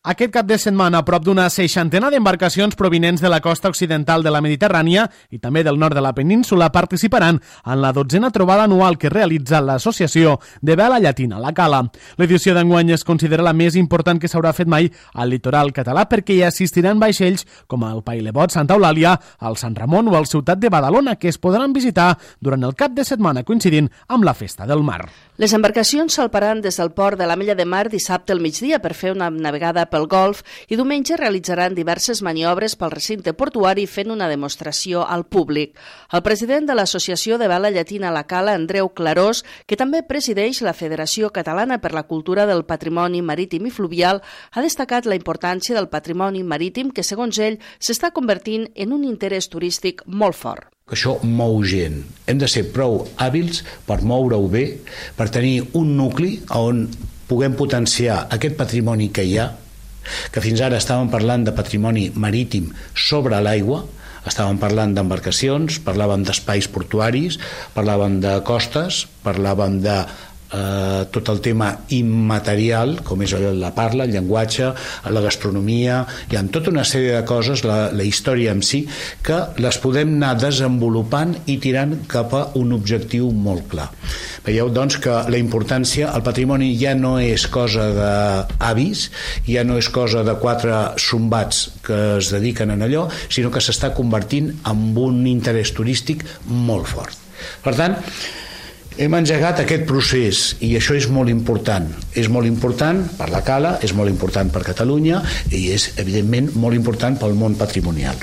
Aquest cap de setmana, a prop d'una 60 d'embarcacions provinents de la costa occidental de la Mediterrània i també del nord de la península participaran en la 12a trobada anual que realitza l'Associació de Vela Llatina, la Cala. L'edició d'enguany es considera la més important que s'haurà fet mai al litoral català perquè hi assistiran vaixells com el Pailebot Santa Eulàlia, el Sant Ramon o el Ciutat de Badalona, que es podran visitar durant el cap de setmana coincidint amb la Festa del Mar. Les embarcacions salparan des del port de l'Ametlla de Mar dissabte al migdia per fer una navegada pel Golf i diumenge realitzaran diverses maniobres pel recinte portuari fent una demostració al públic. El president de l'Associació de Vela Llatina La Cala, Andreu Clarós, que també presideix la Federació Catalana per la Cultura del Patrimoni Marítim i Fluvial, ha destacat la importància del patrimoni marítim que, segons ell, s'està convertint en un interès turístic molt fort. Això mou gent. Hem de ser prou hàbils per moure-ho bé, per tenir un nucli on puguem potenciar aquest patrimoni que hi ha, que fins ara estàvem parlant de patrimoni marítim sobre l'aigua, estàvem parlant d'embarcacions, parlàvem d'espais portuaris, parlàvem de costes, parlàvem de tot el tema immaterial, com és la parla, el llenguatge, la gastronomia, hi ha tota una sèrie de coses, la història en si, que les podem anar desenvolupant i tirant cap a un objectiu molt clar. Veieu, doncs, que la importància, el patrimoni ja no és cosa d'avis, ja no és cosa de 4 sombats que es dediquen a allò, sinó que s'està convertint en un interès turístic molt fort. Per tant, hem engegat aquest procés i això és molt important. És molt important per la Cala, és molt important per Catalunya i és, evidentment, molt important pel món patrimonial.